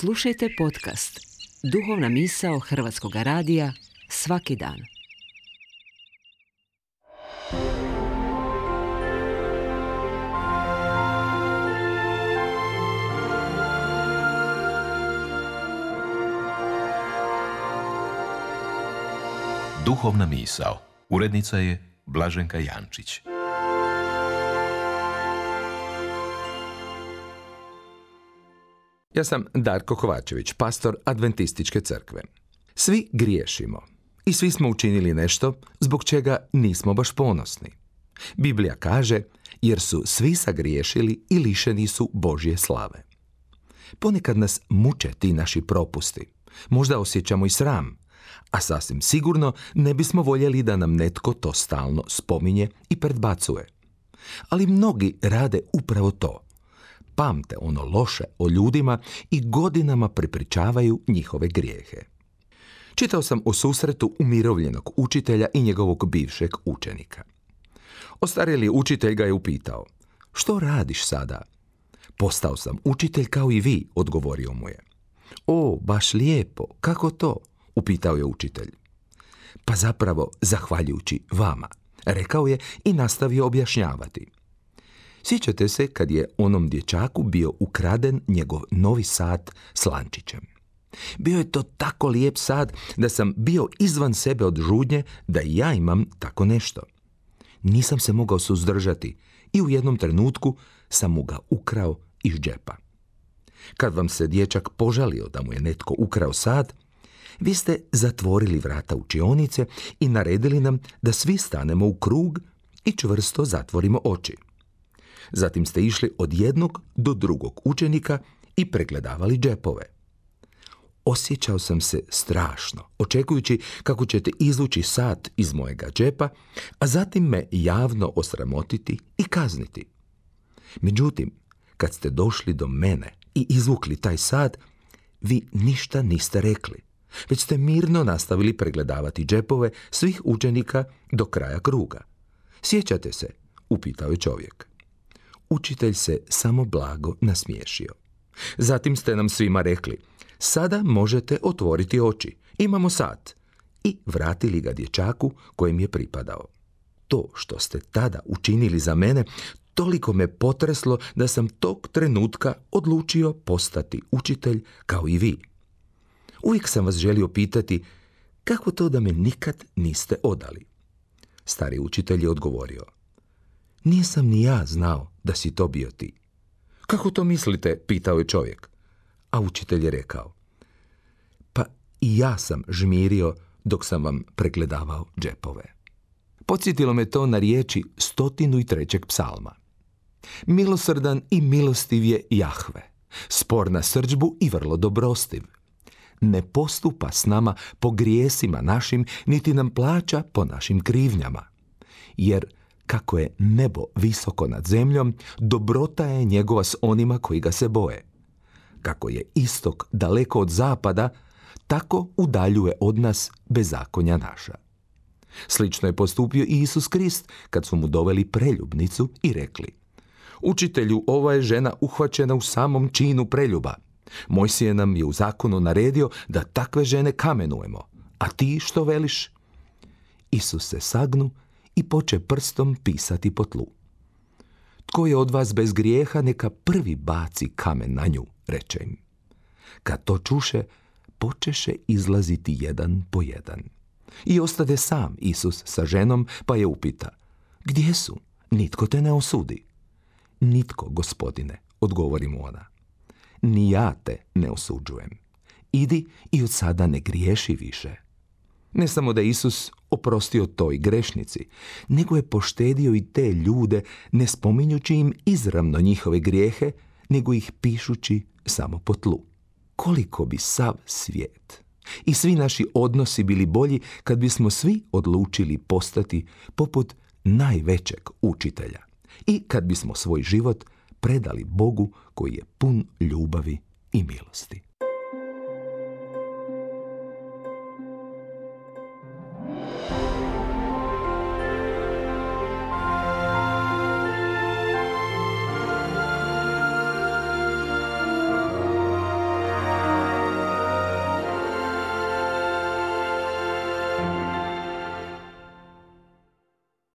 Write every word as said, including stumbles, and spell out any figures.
Slušajte podcast Duhovna misao Hrvatskog radija svaki dan. Duhovna misao. Urednica je Blaženka Jančić. Ja sam Darko Kovačević, pastor Adventističke crkve. Svi griješimo i svi smo učinili nešto zbog čega nismo baš ponosni. Biblija kaže, jer su svi sagriješili i lišeni su Božje slave. Ponekad nas muče ti naši propusti. Možda osjećamo i sram, a sasvim sigurno ne bismo voljeli da nam netko to stalno spominje i predbacuje. Ali mnogi rade upravo to. Pamte ono loše o ljudima i godinama prepričavaju njihove grijehe. Čitao sam o susretu umirovljenog učitelja i njegovog bivšeg učenika. Ostarjeli učitelj ga je upitao, što radiš sada? Postao sam učitelj kao i vi, odgovorio mu je. O, baš lijepo, kako to? Upitao je učitelj. Pa zapravo zahvaljujući vama, rekao je i nastavio objašnjavati. Sjećate se kad je onom dječaku bio ukraden njegov novi sat s lančićem. Bio je to tako lijep sat da sam bio izvan sebe od žudnje da i ja imam tako nešto. Nisam se mogao suzdržati i u jednom trenutku sam mu ga ukrao iz džepa. Kad vam se dječak požalio da mu je netko ukrao sat, vi ste zatvorili vrata učionice i naredili nam da svi stanemo u krug i čvrsto zatvorimo oči. Zatim ste išli od jednog do drugog učenika i pregledavali džepove. Osjećao sam se strašno, očekujući kako ćete izvući sat iz mojega džepa, a zatim me javno osramotiti i kazniti. Međutim, kad ste došli do mene i izvukli taj sat, vi ništa niste rekli, već ste mirno nastavili pregledavati džepove svih učenika do kraja kruga. Sjećate se? Upitao je čovjek. Učitelj se samo blago nasmiješio. Zatim ste nam svima rekli, sada možete otvoriti oči, imamo sat, i vratili ga dječaku kojem je pripadao. To što ste tada učinili za mene toliko me potreslo da sam tog trenutka odlučio postati učitelj kao i vi. Uvijek sam vas želio pitati, kako to da me nikad niste odali? Stari učitelj je odgovorio, nisam ni ja znao da si to bio ti. Kako to mislite? Pitao je čovjek. A učitelj je rekao, pa i ja sam žmirio dok sam vam pregledavao džepove. Podsjetilo me to na riječi stotinu i trećeg psalma. Milosrdan i milostiv je Jahve, spor na srdžbu i vrlo dobrostiv. Ne postupa s nama po grijesima našim, niti nam plaća po našim krivnjama. Jer kako je nebo visoko nad zemljom, dobrota je njegova s onima koji ga se boje. Kako je istok daleko od zapada, tako udaljuje od nas bezakonja naša. Slično je postupio i Isus Krist kad su mu doveli preljubnicu i rekli, učitelju, ova je žena uhvaćena u samom činu preljuba. Mojsije nam je u zakonu naredio da takve žene kamenujemo, a ti što veliš? Isus se sagnu i poče prstom pisati po tlu. Tko je od vas bez grijeha, neka prvi baci kamen na nju, reče im. Kad to čuše, počeše izlaziti jedan po jedan. I ostade sam Isus sa ženom, pa je upita, gdje su? Nitko te ne osudi. Nitko, gospodine, odgovori mu ona. Ni ja te ne osuđujem. Idi i od sada ne griješi više. Ne samo da Isus oprostio toj grešnici, nego je poštedio i te ljude, ne spominjući im izravno njihove grijehe, nego ih pišući samo po tlu. Koliko bi sav svijet i svi naši odnosi bili bolji kad bismo svi odlučili postati poput najvećeg učitelja i kad bismo svoj život predali Bogu koji je pun ljubavi i milosti.